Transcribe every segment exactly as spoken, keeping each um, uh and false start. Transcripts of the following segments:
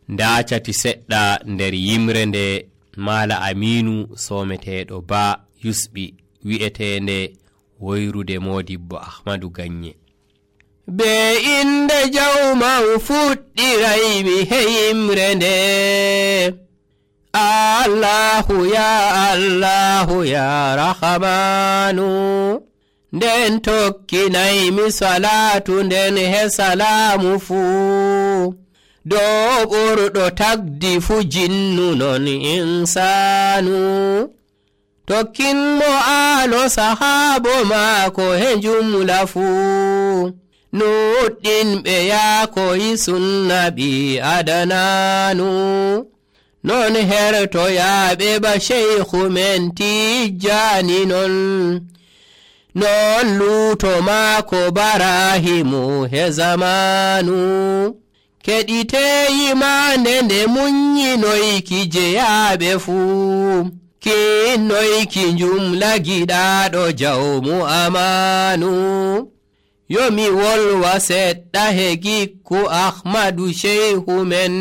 ndacati seɗɗa nder yimre nde Mala Aminu someteɗo Ba yusɓi wi'etende woyrude Modibbo Ahmadu Ganye. Be inde jawman fuɗɗiraymi he yimre nde, Allahu ya Allahu ya Rahmanu. Nden tokkinaymi salatu nden he salamu fuu, dow ɓurɗo tagdi fu jinnu non insanu. Tokkinmo aalo sahabo maako he jumla fuu, nuɗɗinɓe yaakoyi sunna ɓi adananu. Non hertoyaaɓe ba sheykhu men Tijjani non, non luuto maako Barahimu he zamanu. Keɗiteyimande nde munyinoyki jeyaaɓe fuu, kinnoyki jumla giɗaaɗo jawmu amanu. Yomi wolwa seɗɗa he gikku Ahmadu sheykhu men,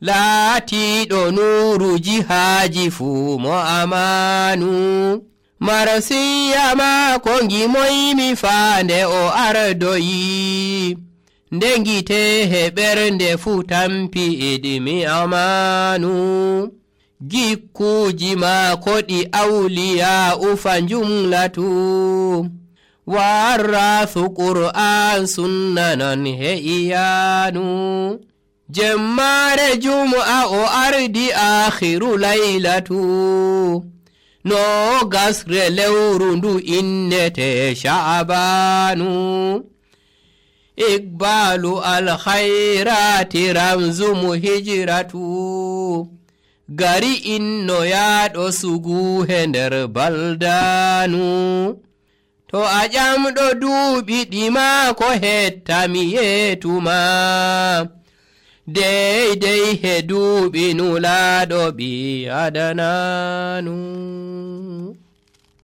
laatiiɗo nuuru jihaaji fuu mo amanu. Marsiya maako ngimoymi faande o ardoyi, ndengite he ɓernde fuu tampi idimi amanu. Gikkuuji maako ɗi awliya ufa jumlatu, warrathu Qur'an sunna non he iyanu. Jemmare jum'a o ardi akhiru laylatu, no gasre lewru ndu innete Sha'banu. Iqbalu alkhairati ramzumu hijratu, gari inno yaɗo sugu he nder baldanu. To a ƴamɗo duuɓi ɗima ko hettami yetuma, deydey he duuɓi nulaaɗo ɓi adananu.